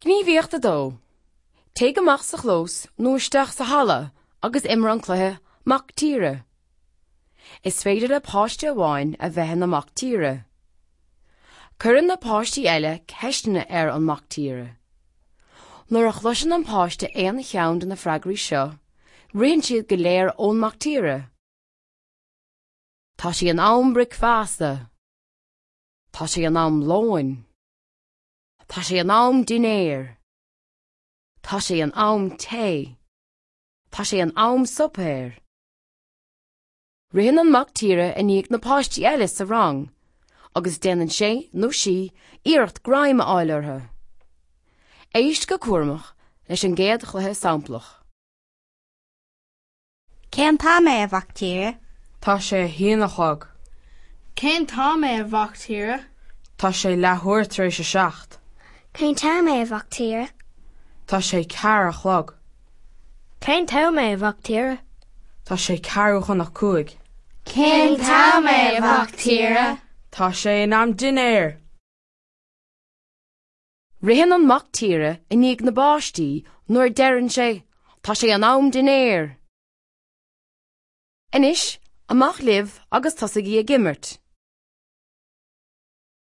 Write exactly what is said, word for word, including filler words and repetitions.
Gníomhaíocht a dó. Téigh amach sa chlós nó isteach sa halla agus imir an cluiche Mac Tíre. Is féidir le páiste amháin a bheith ina mac tíre. Cuireann na páistí eile ceisteanna ar an mac tíre. Nuair a chloiseann an páiste aon cheann de na freagraí seo, ritheann siad go léir ón mac tíre. Tá sé in am bricfeasta. Tá sé in am lóin. Tá sé in am dinnéir. Tá sé in am tae. Tá sé in am suipéir. Ritheann an mac tíre i ndiaidh na páistí eile sa rang, agus déanann sé nó sí iarracht greim a fháil orthu. Éist go cúramach leis an gcéad chluiche samplach. Cén t-am é a mhac tíre? Tá sé a haon a chlog. Cén t-am é a mhac tíre? Tá sé leathuair tar éis a seacht. Cén t-am é a mhac tíre? Tá sé ceathair a chlog. Cén t-am é a mhac tíre? Tá sé ceathrú chun a cúig. Cén t-am é a mhac tíre? Tá sé in am dinnéir. Ritheann an mac tíre i ndiaidh na bpáistí nuair a deireann sé, Tá sé in am dinnéir. Anois, amach libh agus tosaígí ag imirt.